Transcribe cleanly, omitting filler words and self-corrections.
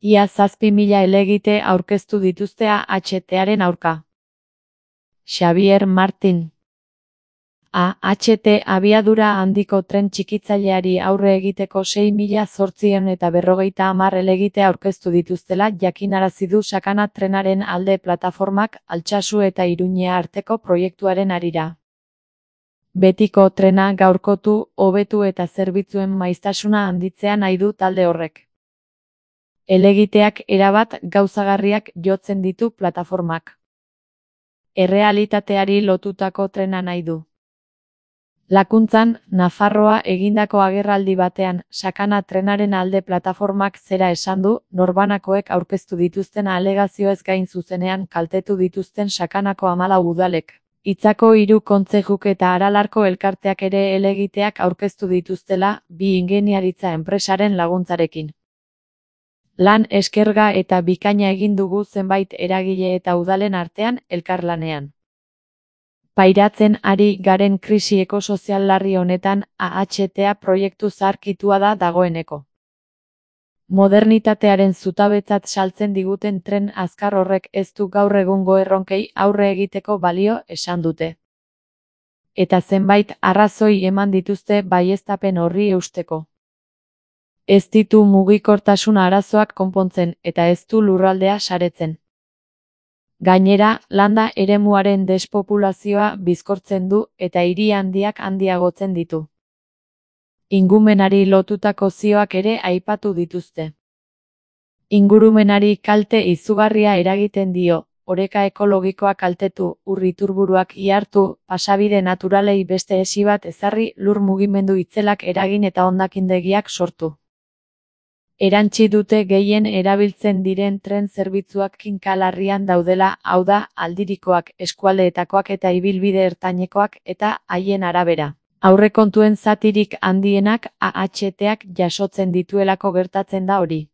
Ia 7.000 helegite aurkeztu dituzte AHTaren aurka. Xabier Martin. AHT abiadura handiko tren txikitzaileari aurre egiteko 6.850 helegite aurkeztu dituztela jakinarazi du Sakana trenaren alde plataformak Altsasu eta Iruñea arteko proiektuaren harira. Betiko trena gaurkotu, hobetu eta zerbitzuen maiztasuna handitzea nahi du talde horrek. Helegiteak erabat gauzagarriak jotzen ditu plataformak. Errealitateari lotutako trena nahi du. Lakuntzan, Nafarroa egindako agerraldi batean, Sakana trenaren alde plataformak zera esan du, norbanakoek aurkeztu dituzten alegazioez gain zuzenean kaltetu dituzten Sakanako 14 udalek. Itzako 3 kontzejuk eta Aralarko elkarteak ere helegiteak aurkeztu dituztela, bi ingeniaritza enpresaren laguntzarekin. Lan eskerga eta bikaina egin dugu zenbait eragile eta udalen artean elkarlanean. Pairatzen ari garen krisi ekosozial larri honetan AHTA proiektu zaharkitua da dagoeneko. Modernitatearen zutabetzat saltzen diguten tren azkar horrek ez du gaur egungo erronkei aurre egiteko balio esan dute. Eta zenbait arrazoi eman dituzte baieztapen horri eusteko. Ez ditu mugikortasun arazoak konpontzen eta ez du lurraldea saretzen. Gainera, landa eremuaren despopulazioa bizkortzen du eta hiri handiak handiagotzen ditu. Ingumenari lotutako zioak ere aipatu dituzte. Ingurumenari kalte izugarria eragiten dio, oreka ekologikoa kaltetu, ur iturburuak ihartu, pasabide naturalei beste esi bat ezarri, lur mugimendu itzelak eragin eta hondakindegiak sortu. Erantsi dute gehien erabiltzen diren tren zerbitzuak kinka larrian daudela, hau da, aldirikoak, eskualdeetakoak eta ibilbide ertainekoak eta haien arabera. Aurrekontuen zatirik handienak AHTak jasotzen dituelako gertatzen da hori.